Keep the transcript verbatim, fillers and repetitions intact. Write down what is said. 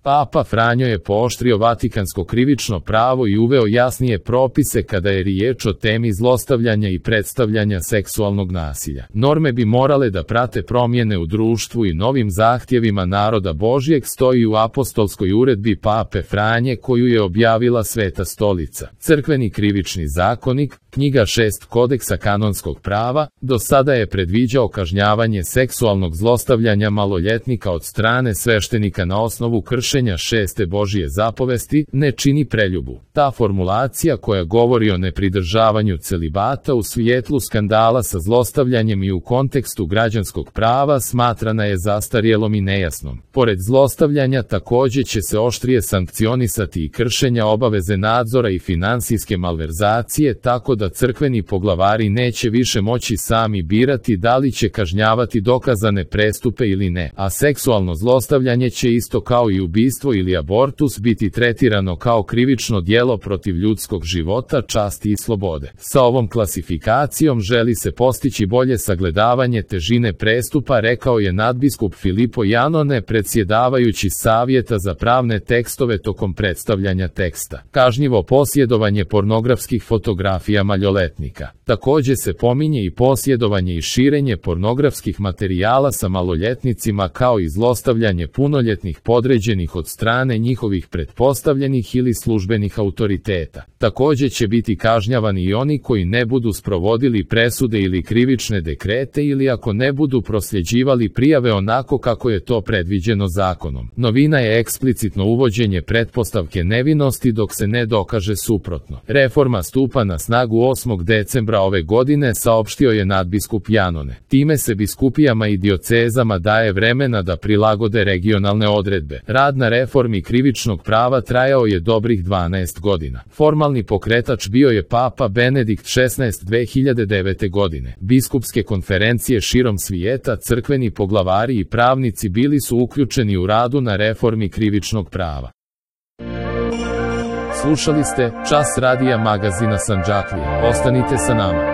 Papa Franjo je pooštrio vatikansko krivično pravo i uveo jasnije propise kada je riječ o temi zlostavljanja i predstavljanja seksualnog nasilja. Norme bi morale da prate promjene u društvu i novim zahtjevima naroda Božjeg stoji u apostolskoj uredbi Pape Franje koju je objavila Sveta stolica. Crkveni krivični zakonik, knjiga šest kodeksa kanonskog prava, do sada je predviđao kažnjavanje seksualnog zlostavljanja maloljetnika od strane sveštenika na osnovu kršenja šeste Božje zapovesti, ne čini preljubu. Ta formulacija koja govori o nepridržavanju celibata u svijetlu skandala sa zlostavljanjem i u kontekstu građanskog prava smatrana je zastarjelom i nejasnom. Pored zlostavljanja također će se oštrije sankcionisati i kršenja obaveze nadzora i finansijske malverzacije, tako da crkveni poglavari neće više moći sami birati da li će kažnjavati dokazane prestupe ili ne, a seksualno zlostavljanje će isto kao i ubistvo ili abortus biti tretirano kao krivično djelo protiv ljudskog života, časti i slobode. Sa ovom klasifikacijom želi se postići bolje sagledavanje težine prestupa, rekao je nadbiskup Filipo Janone, predsjedavajući Savjeta za pravne tekstove tokom predstavljanja teksta. Kažnjivo posjedovanje pornografskih fotografija maloljetnika. Također se pominje i posjedovanje i širenje pornografskih materijala sa maloljetnicima kao i zlostavljanje punoljetnih podređenih od strane njihovih pretpostavljenih ili službenih autoriteta. Također će biti kažnjavani i oni koji ne budu sprovodili presude ili krivične dekrete ili ako ne budu prosljeđivali prijave onako kako je to predviđeno zakonom. Novina je eksplicitno uvođenje pretpostavke nevinosti dok se ne dokaže suprotno. Reforma stupa na snagu osmog decembra ove godine, saopštio je nadbiskup Janone. Time se biskupijama i diocezama daje vremena da prilagode regionalne odredbe. Rad na reformi krivičnog prava trajao je dobrih dvanaest godina. Formalni pokretač bio je Papa Benedikt šesnaesti dve hiljade devete. godine. Biskupske konferencije širom svijeta, crkveni poglavari i pravnici bili su uključeni u radu na reformi krivičnog prava. Slušali ste Čas radija magazina Sandžaklije. Ostanite sa nama.